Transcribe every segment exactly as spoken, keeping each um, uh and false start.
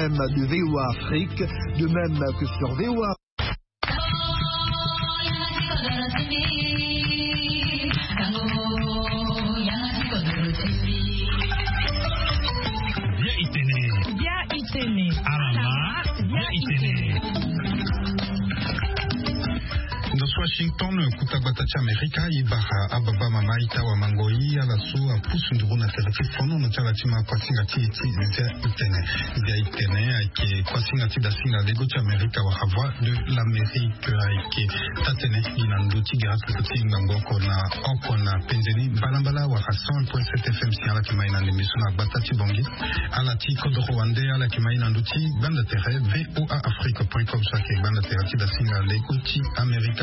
Même de VOA Afrique, de même que sur VOA. Bia itene. Bia itene. Alama. Bia itene. Ndo so Washington, kuta gbata ti Amerika, i bara ababa mama, ita wa mango, i ala so apusu nduru na tere ti fono na ti ala ti ma kuasinga ti, ti Zia itene. Zia itene ayeke kuasinga ti dasinga lego ti Amerika wala Voix de l'Amérique, ayeke taa-tënë gi na ndö ti gara ti ngangu oko na oko na penze ni mbalambala wala cent point sept F M si ala yeke mai na ndembe so na gbata ti Bangui. Ala ti kodoro wande ala yeke mai na ndö ti gbanda tere V O A Afrique point com so ayeke gbanda tere ti dasinga lego ti Amerika.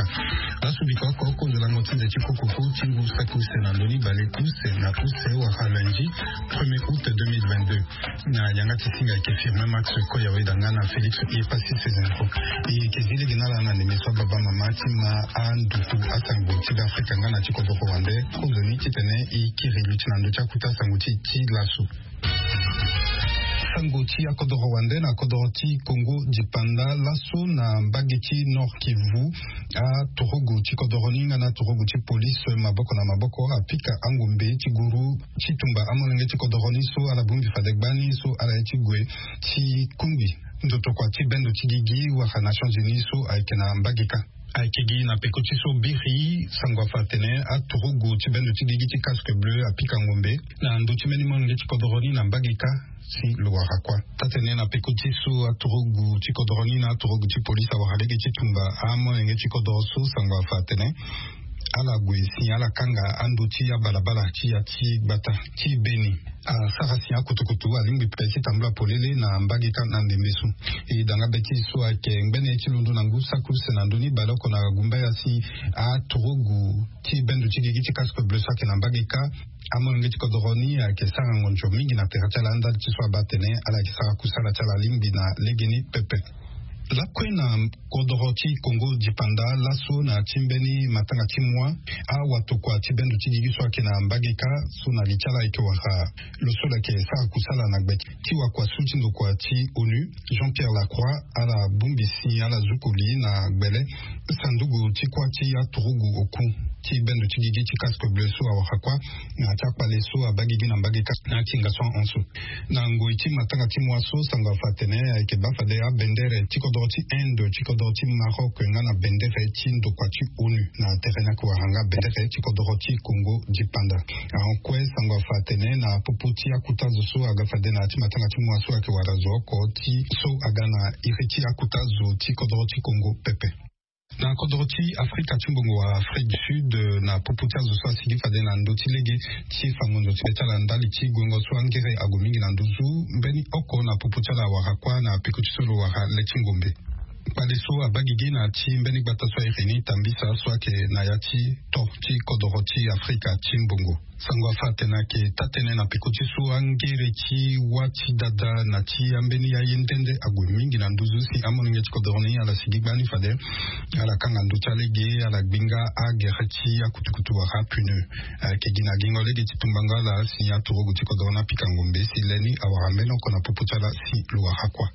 Laso biko oko oko zo lango ti nze ti kokoko ti ngu saki use na ndö ni bale use na use wala lundi premier août deux mille vingt-deux. Na yanga ti singa ayeke Firmin Max Koya, weda nga na Félix Epassi Sezenko. E yeke zi lege na ala na ndembe so ababa mama ti ma anduku asango ti Beafrika nga na ti kodoro wande. Kozoni titene e kiri luti na ndö ti akuta sango ti, ti laso. Sango ti akodoro wande na kodoro ti Congo dipanda. Laso na mbage ti Nord Kivu, aturugu ti kodoro ni nga na aturugu ti police maboko na maboko apika angombe ti guru ti tumba amolenge ti kodoro ni so ala bongbi fade gbani so ala ye ti gue ti kungbi ndotokua ti bendo ti gigi wala Nations Unies so ayeke na mbage kâ. Ayeke gi na peko ti so biri sango afa atene aturugu ti bendo ti gigi ti casque bleu apika ngombe na ndö ti mbeni molenge ti kodoro ni na mbage kâ si lo wara kuâ. Taa-tënë na peko ti so aturugu ti kodoro ni na aturugu ti polise awara lege ti tumba amolenge ti kodoro so sango afa atene ala gue si ala kanga ando ti abalabala ti ya ti gbata ti beni. Asara si akutukutu alingbi pe ti tambula polele na mbage kâ na ndembe so. E danga be ti so ayeke ngbene ti londo na ngu saki use na ndö ni baleoko na gumbaya si aturugu ti bendo ti gigi ti casque bleu so ayeke na mbage kâ amolenge ti kodoro ni ayeke sara ngonzo mingi na tere ti ala ndali ti so abaa atene ala yeke sara kusala ti ala lingbi na legeni pepe. Lakue na kodoro ti Congo dipanda laso na ti mbeni matanga ti moi, awatokua ti bendo ti gigi so ayeke na mbage kâ so na li ti ala ayeke wara lo so lo yeke sara kusala na gbe ti wakua su ti ndokua ti onu, Jean-Pierre Lacroix, ala bongbi si ala zuku li na gbele sanduku ti kuâ ti aturugu oku ti bendo ti gigi ti casque bleu so awara kuâ na ti akpale so abaa gigi na mbage kâ na akinga so ahon so. Na ngoi ti matanga ti moi so sango afa atene ayeke baa fade abendere ti kodoro ti Inde, ti kodoro ti Maroc nga na bendere ti ndokua ti onu na tere ni ayeke wara nga bendere ti kodoro ti Congo dipanda. Ahon kue sango afa atene na popo ti akuta zo so aga fade na ya ti matanga ti moi so ayeke wara zo oko ti so aga na iri ti akuta zo ti kodoro ti Congo pepe. Na kodoro ti Afrika ti mbongo wala Afrique du Sud, na popo ti azo so asigi fade na ndö ti lege ti fango nzoni ti be ti ala ndali ti guengo so angere ague mingi na nduzu, mbeni oko na popo ti ala awara kuâ na peko ti so lo wara le ti ngombe. Kpale so abaa gigi na ya ti mbeni gbata so airi ni Tambisa so ayeke na ya ti to ti kodoro ti Afrika ti mbongo. Sango afa atene ayeke taa-tënë na peko ti so angere ti wâ ti dada na ti ambeni aye nde nde ague mingi na nduzu si amolenge ti kodoro ni ala sigi gbani fade ala kanga ndö ti alege, ala gbinga agere ti akutukutu wala apneu. Ayeke gi na gingo lege ti tumbango ala si aturugu ti kodoro ni apika ngombe si le ni awara mbeni oko na popo ti ala si lo wara kuâ.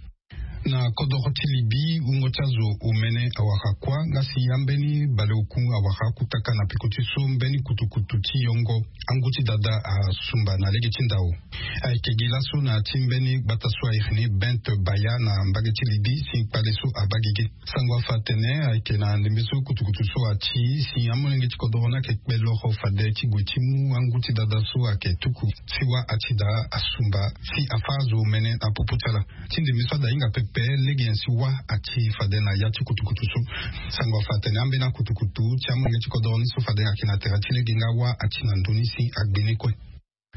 Na kodoro ti Libye, wungo ti azo omene awara kuâ nga si ambeni baleoku awara akutaka na peko ti so mbeni kutukutu ti yongo angu ti dada asumba na lege ti ndao. Ayeke gi laso na ya ti mbeni gbata so airi ni Bent Baya na mbage ti Libye si kpale so abaa gigi. Sango afa atene ayeke na ndembe so kutukutu so ati si amolenge ti kodoro ni ayeke kpe loro fade ti gue ti mu angu ti dada so ayeke tuku si wâ ati daa asumba si afâ azo omene na popo ti ala. Ti ndembe so ada hinga pepe lege nyen si wâ ati fade na ya ti kutukutu so. Sango afa atene ambeni akutukutu ti amolenge ti kodoro ni so fade ayeke na tere ti lege nga wâ ati na ndö ni si agbe ni kue.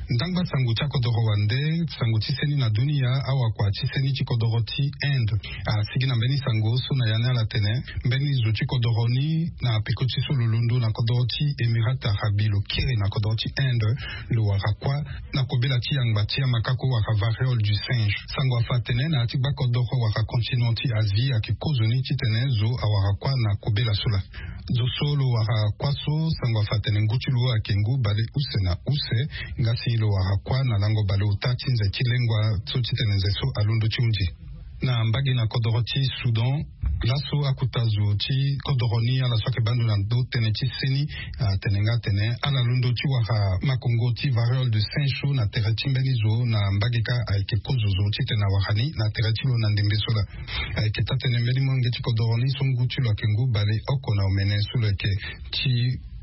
Ndangba sango ti akodoro wande, sango ti seni na dunia, awakua ti seni ti kodoro ti Inde asigi na mbeni sango so na ya ni ala tene mbeni zo ti kodoro ni na peko ti so lo londo na kodoro ti Émirats Arabes lo kiri na kodoro ti Inde lo wara kuâ na kobela ti yangba ti amakako wala variole du singe. Sango afa atene na ya ti gbakodoro wala continent ti Asie ayeke kozoni titene zo awara kuâ na kobela so laa. Zo so lo wara kuâ so, sango afa atene ngu ti lo ayeke ngu baleuse na use, nga si lo wara kuâ na lango baleota ti nze ti lengua so titene nze so alondo ti hunzi. Na mbage na kodoro ti Soudan, laso akuta zo ti kodoro ni ala so ayeke baa ndo na ndo tënë ti seni atene nga atene ala londo ti wara makongo ti variole de singe so na tere ti mbeni zo na mbage kâ ayeke kozo zo titene awara ni na tere ti lo na ndembe so laa. Ayeke taa-tënë mbeni molenge ti kodoro ni so ngu ti lo ayeke ngu baleoko na omene so lo yeke ti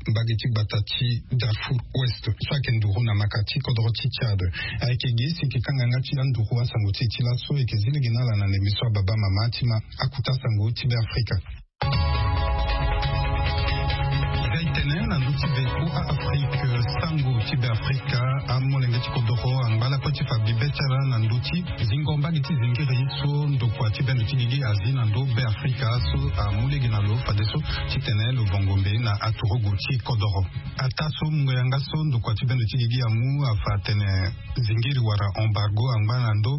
mbage ti gbata ti Darfour Ouest so ayeke nduru na maka ti kodoro ti Tchad. Ayeke gi si e yeke kanga nga ti anduru asango ti e ti laso e yeke zi lege na ala na ndembe so ababa mama ti ma akuta sango ti Be Afrika. Gai tene na ndö ti Be Afrika, sango ti Be Afrika, amolenge ti kodoro angba lakue ti fa bibe ti ala na ndö ti zingo mbage ti zingiri so ndokua ti bendo ti gigi azi na ndö Be Afrika so amu lege na lo fadeso titene lo vongo mbe na aturugu ti kodoro. Ataa so mungo yanga so ndokua ti bendo ti gigi amu afa atene zingiri wala embargo angba na ndö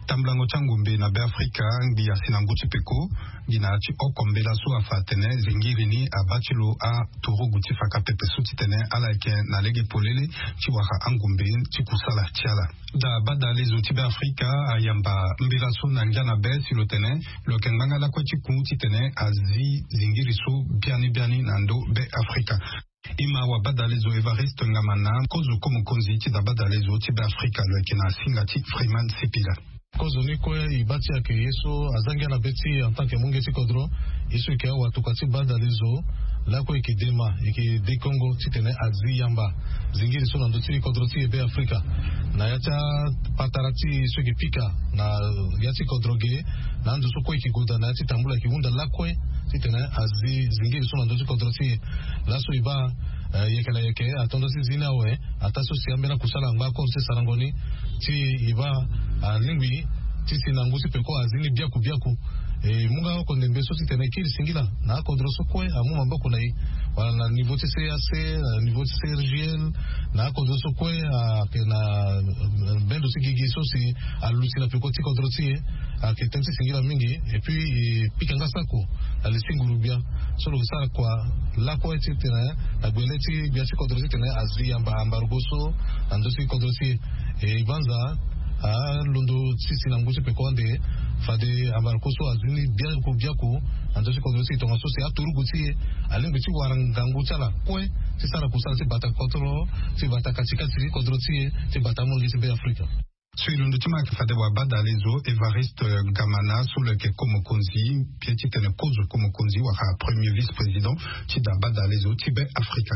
tambulango ti angombe na Be Afrika ngbi asi na ngu ti peko. Gi na ya ti oko mbela so afa atene zingiri ni abaa ti lo aturugu ti faka pepe so titene ala yeke na lege polele ti wara angombe ti kusala ti ala. Daa badalezo ti Be Afrika ayamba mbela so na ngia na be si lo tene lo yeke ngbanga lakue ti ku titene azi zingiri so biani biani na ndö Be Afrika. E ma wabadalezo Evariste Ngamana, kozo ko mokonzi ti daa badalezo ti Be Afrika, lo yeke na singa ti Freeman Sipila. Kozo ni kue e baa ti e ayeke ye so aza ngia na be ti e en tant que munge ti kodro. Ye so e yeke awa tokua ti badalezo lakue e yeke de ma e yeke de kongo titene azi yamba zingiri so na ndö ti kodro ti e Be Afrika. Na ya ti apatara ti e so e yeke pika na ya ti kodro ge, na ando so kue e yeke gue daa na ya ti tambula e yeke hunda lakue titene azi zingiri so na ndö ti kodro ti e. Laso e baa, eh, yeke na yeke atondo ti zi ni awe. Ataa so si ambeni akusala angba akoro ti sarango ni ti e baa alingbi ti si na ngu ti peko azi ni biaku biaku. E mu nga oko ndembe so titene e kiri singila na akodro so kue amu maboko na e, wala na niveau ti C A C, na niveau ti C R G L, na akodro so kue ayeke na, eh, bendo ti gigi so si aluti na peko ti kodro ti e. Ayeke tënë ti singila mingi. Et puis e pika nga sako na li ti nguru-gbia so lo sara kua lakue titene na gbele ti gbia ti kodro titene azi yamba ambargo so na ndö ti kodro ti e. E banza alondo ti si na ngu ti peko ande fade ambargo so azi ni biaku biaku na ndö ti kodro ti e tongaso si aturugu ti e alingbi ti wara ngangu ti ala kue ti sara kusala ti bata kodro, ti bata katikati ti kodro ti e, ti bata amolenge ti Be Afrika. So e londo ti ma ayeke fade wabadalezo Evariste Gamana so lo yeke ko mokonzi, mbi ye titene kozo ko mokonzi wala premier vice-président ti daa badalezo ti Be Afrika.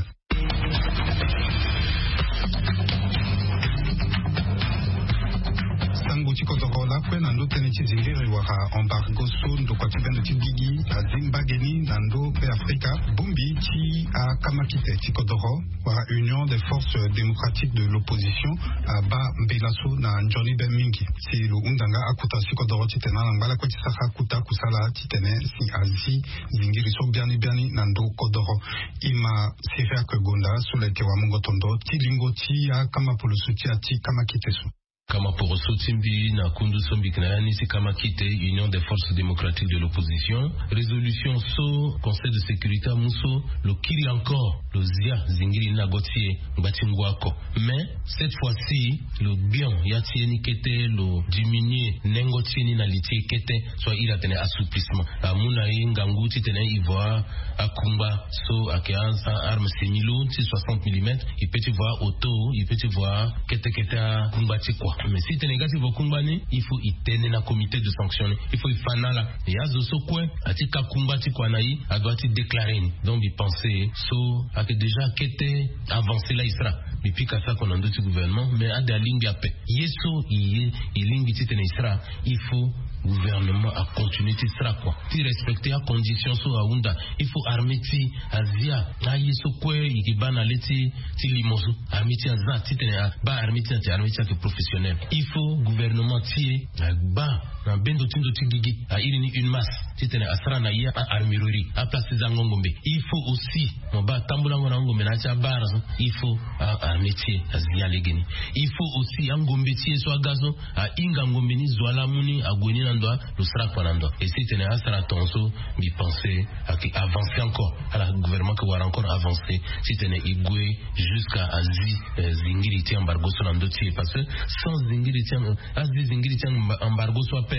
Sango ti kodoro lakue na ndö tënë ti zingiri wala embargo so ndokua ti bendo ti gigi azi mbage ni na ndö Be Afrika. Bongbi ti akamakite ti kodoro wala Union des Forces Démocratiques de l'Opposition abaa mbela so na nzoni be mingi. Si lo hunda nga akuta ti kodoro titene ala ngba lakue ti sara akuta kusala titene si azi zingiri so biani biani na ndö kodoro. E ma Siriak Gonda so lo yeke wamungo tondo ti lingo ti akama poroso ti ya ti kamakite so. Kama poroso ti mbi na kundu so mbi yeke na ya ni ti kamakite Union des Forces Démocratiques de l'Opposition, résolution so Conseil de Sécurité amu so lo kiri encore lo zia zingiri ni na go ti e ngba ti ngu oko. Mais cette fois-ci lo gbion ya ti e ni kete, lo diminuer nengo ti e ni na li ti e kete, so a iri atene assouplissement. Amu na e ngangu titene e voa akungba so ayeke a, a arme semi lourd ti soixante millimètres, e peut ti voa auto, e peut ti voa kete kete akungba ti kua. Mais si tene e ga ti voa kungba ni, il faut e tene na comité de sanction ni, il faut e fa na ala. E azo so kue ati ka kungba ti kua na e, adoit ti déclarer ni. Donc mbi pense so ayeke déjà kete avancé la e sara. Mbi pika sako na ndö ti gouvernement, mais ade alingbi ape. Ye so e ye e lingbi titene e sara, il faut gouvernement acontinuer ti sara kua, ti respecter acondition so ahunda. Il faut armée ti e azia aye so kue e yeke baa na le ti, ti limo so. Armée ti e aza titene abaa armée ti e na ti armée ti e ayeke professionnel. Il faut gouvernement ti e agba na bendo ti ndo ti gigi, a iri ni une masse, titene asara na e a-armurerie, aplace ti zango ngombe. Il faut aussi mo baa tambulango na ngombe na ya ti abar so. Il faut a-armée ti e azia lege ni. Il faut aussi angombe ti e so aga so, ahinga ngombe ni, zo ala mu ni, ague ni na ndo, lo sara kua na ndo. Et si tene asara tongaso, mbi pense ayeke avancer encore. Ala gouvernement ayeke wara encore avancer titene e gue jusqu'à azi, eh, zingiri ti embargo so na ndö ti e, parce que sans zingiri ti, azi zingiri ti embargo so ape,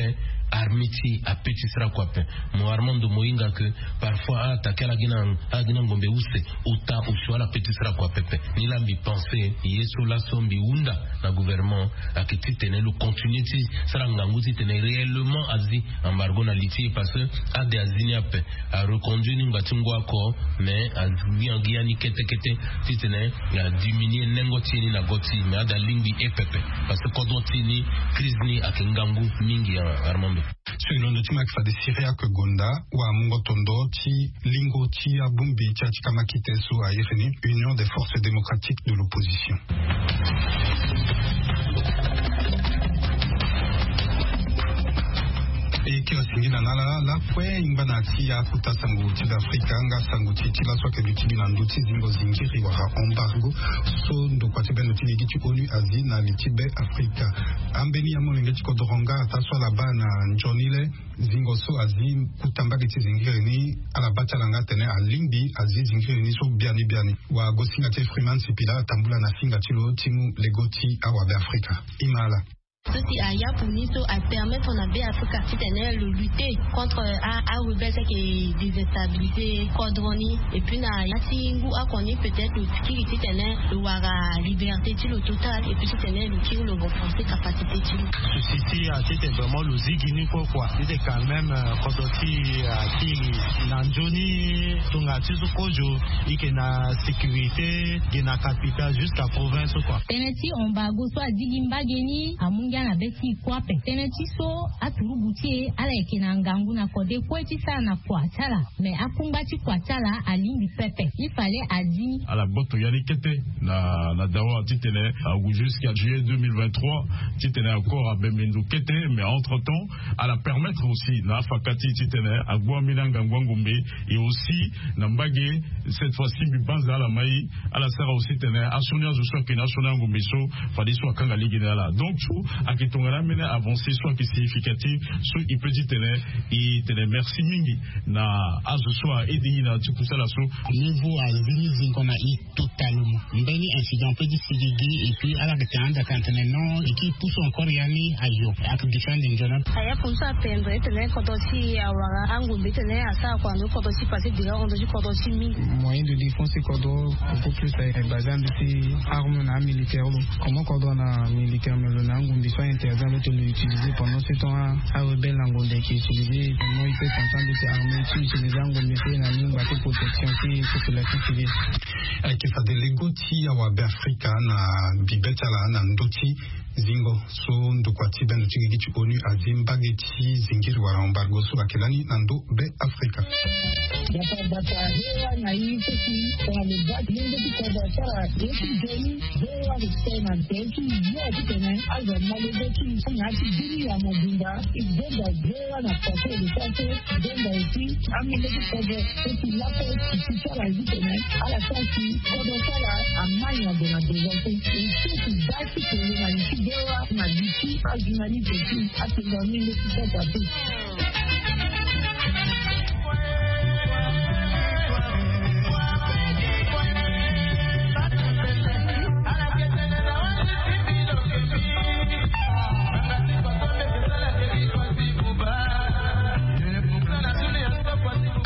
Armée ti ape ti sara kua ape. Mo armando mo hinga ke parfois a attaquer ala gi na ngombe use. Ota osio ala pe ti sara kua pepe. Ni la mbi pense ye so laso mbi hunda na gouvernement ayeke titene lo continue ti sara ngangu titene réellement azi embargo na li ti e parce que ade azi ni ape. Areconduit ni ngba ti ngu ako mais azi angi ya ni kete kete titene adiminuer nengo ti e ni na go ti e mais ade alingbi e pepe. Parce que kodro ti e ni crise ni ayeke ngangu mingi. Armando. Sur londo ti ma yeke fade syria ke gonda wa mungo tondo ti lingo ti abongbi ti atika makite so airi ni union des forces démocratiques de l'opposition. E ke asingi na na ala lakue ngbana ti akuta sango ti be afrika nga sango ti ti laso ake luti bi na ndö ti zingo zingiri wala embargo so ndokua ti bendo ti ligi ti onu azi na li ti be afrika. Ambeni ya molenge ti kodoro nga ata so ala baa na nzoni le zingo so azi kuta mbage ti zingiri ni ala baa ti ala nga atene alingbi azi zingiri ni so biani biani. Wa gosinga ti e freeman sipila atambula na finga ti lo ti mu lego ti awabe afrika. Ima ala. So si ayapu ni so apermettre na be afrika titene lo lutter contre arebelle so ayeke déstabiliser kodro ni. Et puis na ya ti ngu oko ni peut-être lo kiri titene lo wara liberté ti lo total et puis titene lo kiri lo renforcer capacité ti lo. Société atete vraiment lo zigi ni kue kua ite quand même kodro ti akiri na nzoni tonga ti so kozo ike na sécurité ge na capital jusqu'à province kua. Tënë ti embargo so azigi mbage ni amu ngia na be ti e kue ape. Tënë ti so aturugu ti e ala yeke na ngangu na kode kue ti sara na kua ti ala. Mais akungba ti kua ti ala alingbi pepe il fallait azi. Ala gboto ya ni kete na na dawa titene agu jusqu'à juillet deux mille vingt-trois titene accord abembe ndo kete mais entre temps ala permettre aussi na afaka ti titene agbu ambeni angangu angombe. Et aussi na mbage cette fois-ci mbi banza ala mai ala sara aussi tene asioni azo so ayeke na asioni angombe so fadeso akanga lege na ala donc so ayeke tongana ambeni avancé so ayeke significatif so e peut ti tene e tene merci mingi na azo so a aide e na ti kusala so. Niveau azi ni zingo na e totalement mbeni incident pe ti sigi gi et puis ala yeke tene anda tene tene non e kiri pusu encore ya ni ayo ayeke defend nzoni. Ayaku so apendre tene kodro ti awara angombe tene asara kua ndo kodro ti passé déjà ondo ti kodro ti mingi. Moyen de défense ti kodro beaucoup plus basé ando ti arme na amilitaire lo comment kodro na militaire me lo na angombe so ainterdit ando ti lo utiliser pendant ce temps arebelle na ngombe ayeke utiliser pendant il peut comprendre ti arme ti utiliser angombe pe na ni ngba ti protection ti population civile. Ayeke fade lego ti awabe afrika na bibe ti ala na ndö ti zingo so ndokua ti bendo ti gigi ti onu azi mbage ti zingiri wala embargo so ayeke lani na ndö be afrika. Bata bata hewa na ye so si tongana lo baa ti lenge ti kodro asara ye ti nzoni. Hewa respect na nze ti yo titene azo amale be ti na ya ti bini ya mobimba. E benda hewa na pase de sa so benda esi amenge ti kodro so si lape ti ti sara ye titene ala sara si kodro sara amai na gue na devant so e so si baa ti kolo na li ti hewa na li ti ajournaliste ti atonga menge ti sasa te.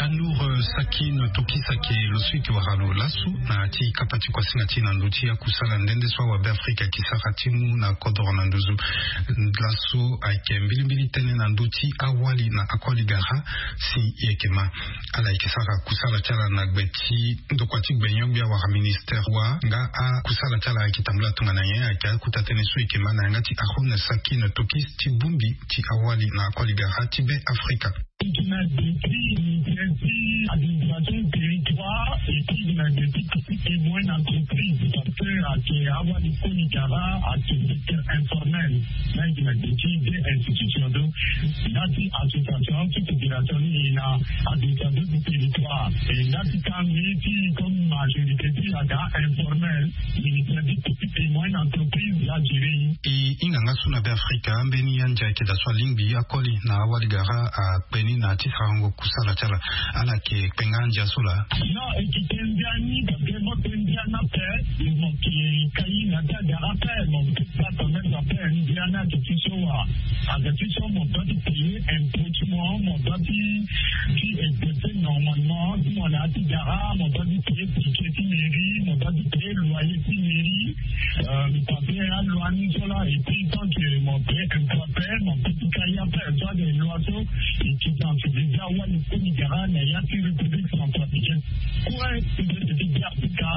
Anour sakine tokisake lo so eke wara lo lasu na ti kapa ti kuasinga ti na ndö ti akusala nde nde so awabe afrika eke sara ti mu na kodoro na nduzu. Laso ayeke mbilimbili tënë na ndö ti awali na akoli gara. Si e yeke ma ala yeke sara kusala ti ala na gbe ti ndokua ti gbenyo-gbia wala ministere wa nga akusala ti ala ayeke tambula tongana nyen ayeke akuta tënë so e yeke ma na yanga ti arone sakine tokis ti bongbi ti awali na akoli gara ti be afrika. Ti na depuis ministere ti administration territoire et puis na depuis petit et moyenne entreprise parce que ayeke awali koli gara ayeke secteur informel. Na ayeke na depuis deux institutions donc na ti association ti fédération ni e na administration ti territoire. Et na ti tangi ti comme majorité ti aga informel ministère ti petit et moyenne entreprise ya gérer. E hinga nga so na be afrika ambeni andia ayeke daa so alingbi akoli na awali gara akpe ni na ti sarango kusala ti ala. Ala yeke kpenga ndia so laa. Non, e yeke ndia ni parce que mo pe ndia ni ape. Mo yeke kai na ti agara ape, mo pe bata même ape. Ndia ni ayeke ti so wa, ayeke ti so mo doit ti payer impôt ti mo, mo doit ti ti exercer normalement. Ti mo na ya ti gara, mo doit ti payer ticket ti mairie, mo doit ti payer loyer ti mairie. Mi pape aloi ni so laa, et puis tant que mo payer impôt ape, mo pe ti kai ape. Soit des lois so, et qui dans ce déjà awali koli gara na ya ti République centrafricaine. Kue ti be ti ti be Afrika,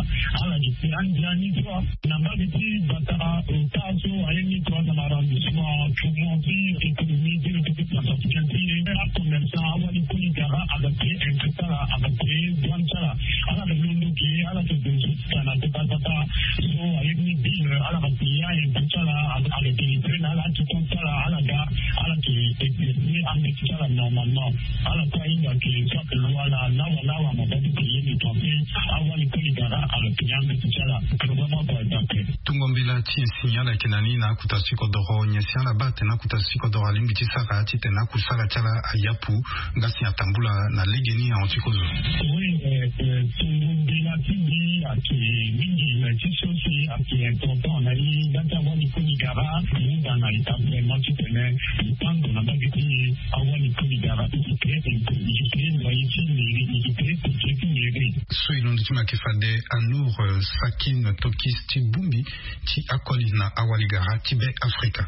ala yeke pe andia ni so. Na mbage ti bata ota so aye ni trois na arrondissement, tourment ti économie ti République centrafricaine ti ye. Acommerçant awali koli gara, aga pe impôt ti ala, aga pe douane ti ala. Ala yeke londo ke, ala yeke dozo ti tana ti bata. So aye ni bill, ala yeke payer impôt ti ala, aga délivré na ala ti compte ti ala, ala ga, ala yeke exercer ambeti ti ala normalement. Ala kue ahinga ke chaque loi la lawa lawa mo doit ti payer, mais quand même awali koli gara, ala payer ambeti ti ala. Vraiment par exemple. Tungo mbela ti nyen si ala yeke na ni na akota ti kodoro, nyen si ala baa atene akota ti kodoro alingbi ti sara titene akusala ti ala ayapu, nga si atambula na legeni ahon ti kozo. Oui, euh, euh, tungo mbela ti mbi ayeke mingi, mais ti so si ayeke important na ye, nga ti awali koli gara, mu ga na établissement titene e tango na mbage ti e, awali koli gara, e yeke, e yeke loyer ti mairie, e yeke ticket ti mairie. So e londo ti mo ayeke fade Anour, euh, Sakin Tokis ti bongbi ti akoli na awali gara ti Be Afrika.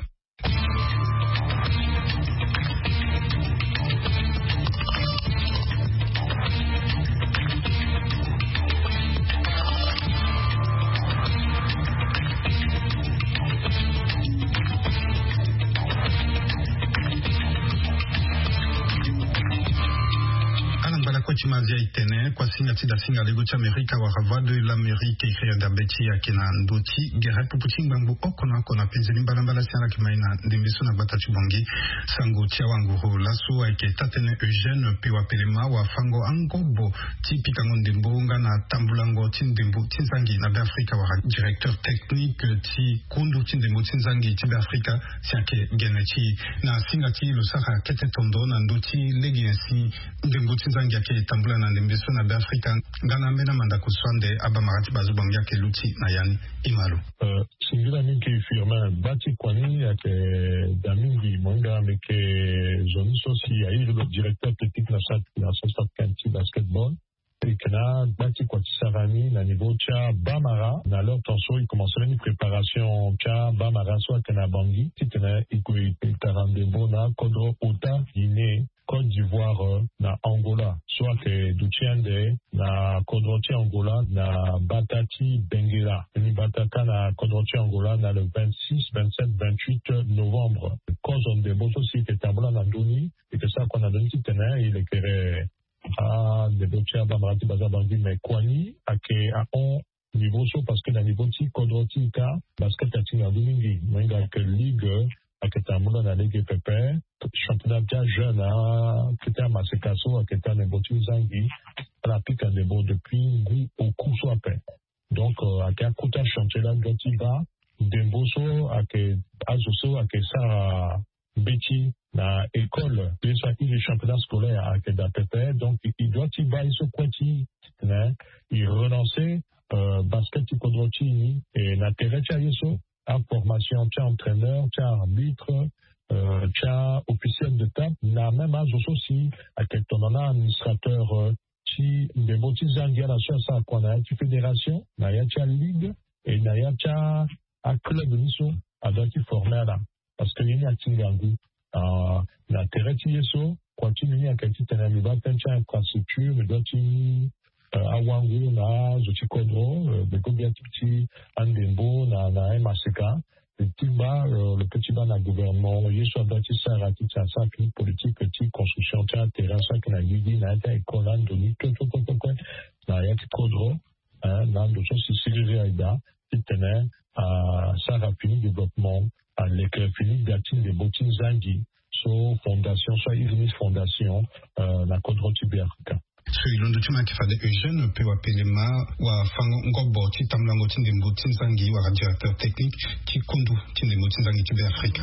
Ala ngba lakue ti mazia e tene kuasinga ti dasinga lego ti Amerika wala Voix de l'Amérique, e kiri ande abe ti e ayeke na ndö ti gere pupu ti ngbangbo oko na oko na penze ni mbalambala si ala yeke ma e na ndembe so na gbata ti Bangui. Sango ti awanguru laso ayeke taa-tënë Eugène Pewa Pelema, wafango angobo ti pikango ndembo nga na tambulango ti ndembo ti nzangi na Be Afrika wala directeur technique ti kundu ti ndembo ti nzangi ti Be Afrika, si ayeke gene ti e na singa ti lo sara kete tondo na ndö ti lege nyen si ndembo ti nzangi ayeke tambula na ndembe so na Be Afrika. Nga na ambeni amandako so ande abamara ti bazo Bangui ayeke luti na ya ni. E ma lo. Euh, singila mingi Firmin, gba ti kua ni ayeke daa mingi. Mo hinga mbi yeke zo ni so si airi lo directeur technique na centre, na centre africain ti basketball. E yeke na gba ti kua ti sara ni na niveau ti abamara. Na l'heure tant so e commencé ni préparation ti abamara so ayeke na Bangui titene e kue e tara ndembo na akodro ota Guinée, Côte d'Ivoire, euh, na Angola. So ayeke duti ande na kodro ti Angola na bata ti Benguela. Ni bata kâ na kodro ti Angola na le vingt-six, vingt-sept, vingt-huit novembre. Kozo ndembo so si e yeke tambula na ndö ni, e yeke sara kua na ndö ni titene e lekere andembo ti abamara ti baza Bangui, mais kua ni ayeke ahon niveau so, parce que na niveau ti kodro ti e kâ, basket atinga ngu mingi. Mo hinga ayeke ligue ayeke tambula na lege pepe. Championnat ti ajeune, a, ti amaseka so ayeke taa ndembo ti nzangi, ala pika ndembo depuis ngu oku so ape. Donc, euh, ayeke akota chantier la doit ti baa ndembo so ayeke azo so ayeke sara mbeti na école, ye so airi championnat scolaire ayeke daa pepe. Donc e doit ti baa ye so kue ti titene e relancer, euh, basket ti kodro ti e ni, e na tere ti aye so, aformation ti a-entraîneur, ti a-arbitre, euh, ti a-officiel de table, na même azo so si ayeke tongana administrateur, euh, ti ndembo ti zangi ala so asara kua na ya ti fédération, na ya ti aligue, e na ya ti a, aclub ni so adoit ti former ala. Parce que ye ni atinga ngu. Ah, na tere ti ye so, kua ti mbi ni ayeke titene mbi baa tënë ti a-infrastructure, mbi doit ti, euh, awangu na azo ti kodro, euh, mbi go gbia ti ti andembo na, na amaseka. Mbi ti baa, euh, lo peut ti baa na gouvernement ye so adoit ti sara titene asara fini politique ti construction ti aterrain so ayeke na gigi na ya ti a-école, ando ni kue kue kue kue kue na ya ti kodro, hein, na ando so si siriri aye daa titene asara fini développement, aleke fini gbia ti ndembo ti nzangi. So fondation so airi ni fondation, euh, na kodro ti Be Afrika. So e londo ti mo ayeke fade Eugène Pewa Pelema, wafango ngobo ti tambulango ti ndembo ti nzangi wala directeur technique ti kundu ti ndembo ti nzangi ti Be Afrika.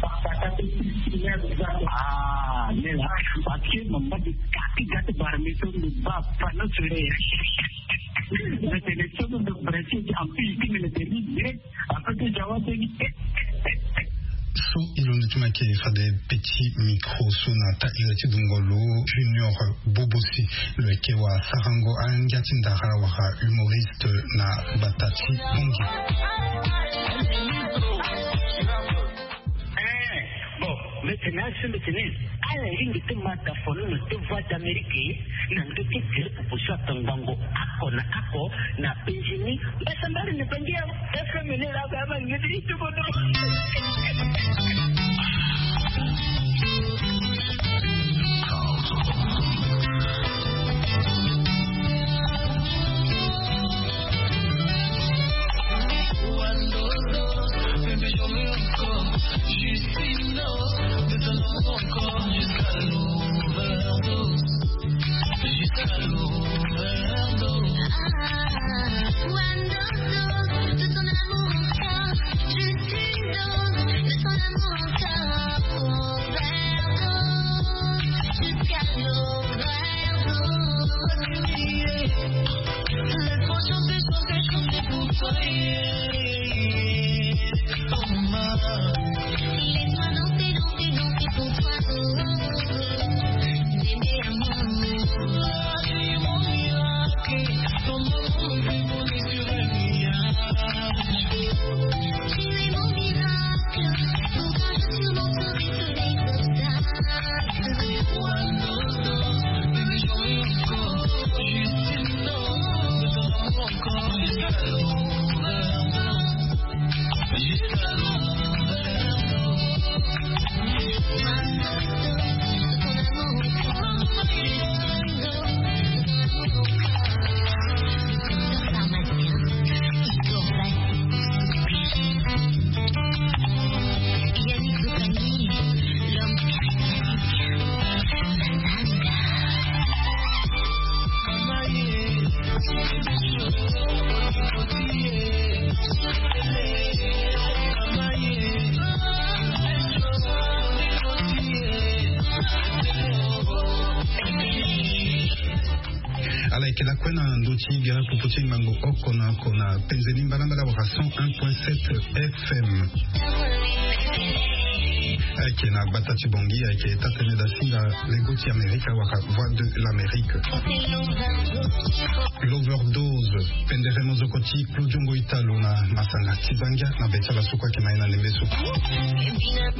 Ah, nela. Parce que mama de kati gati barmi so ndo ba pano sore. Na tene so ndo brasi en plus ti mene tene. Après ti jawa tene. So e londo ti ma ke fade petit micro so na ta ira ti dungo lo Junior Bobosi. Lo yeke wa sarango angia ti ndara wala humoriste na gbata ti Bangui. Eh, bon, maintenant, ce maintenant, ala ringi ti mata fono na ti Voix d'Amérique, na ndo ti direct poso atongbango ako na ako na Benjamin. Basa mbari na Bangi ya F M ni la ba ma ngiti ti bodo. Lakue na ndö ti gere pupu ti ngbangbo oko na oko na penze ni mbalambala wala cent un point sept F M. Ayeke na gbata ti Bangui, ayeke taa-tene dasinga lego ti Amerika wala Voix de l'Amérique. L'Overdose, pendere mozoko ti Claudio Ngoitalo na masanga ti zangia na be ti ala so kue ayeke ma ye na ndembe so.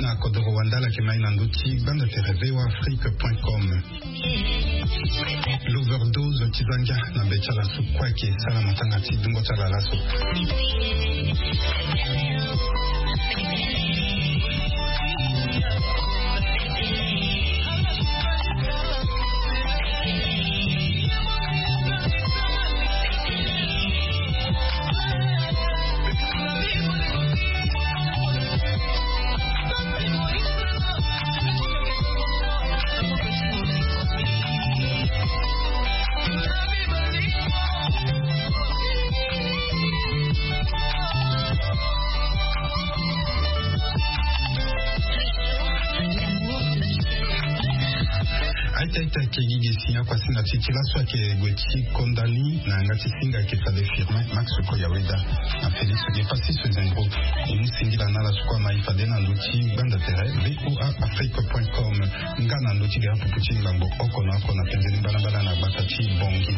Na kodoro wandala ayeke ma ye na ndö ti gbanda tere V O A Afrique point com. L'Overdose ti zangia na be ti ala so kue ayeke sara matanga ti dungo ti ala laso. Aita aita ayeke gi ge si ya kua singa ti ti laso ayeke gue ti konda ni na yanga ti singa ayeke fade Firmin Max Koyaweda na Félix Gepassis Zengro. E mu singila na ala so kue ama e fade na ndö ti gbanda tere V O A Afrique point com. Nga na ndö ti gere pupu ti ngbangbo oko na oko na penze ni mbalambala na gbata ti Bangui.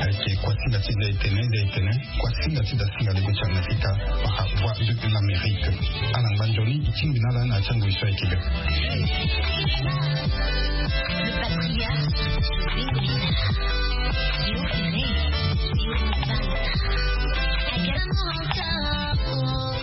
Ayeke kua singa ti zia etene zia etene. Kua singa ti dasinga lego ti Amerika wala Voix de l'Amérique. Ala ngba nzoni e tingbi na ala na ya ti angoi so ayeke be. Le patriarche de Bengolina. Yo, Ferre. Yo, Bangui.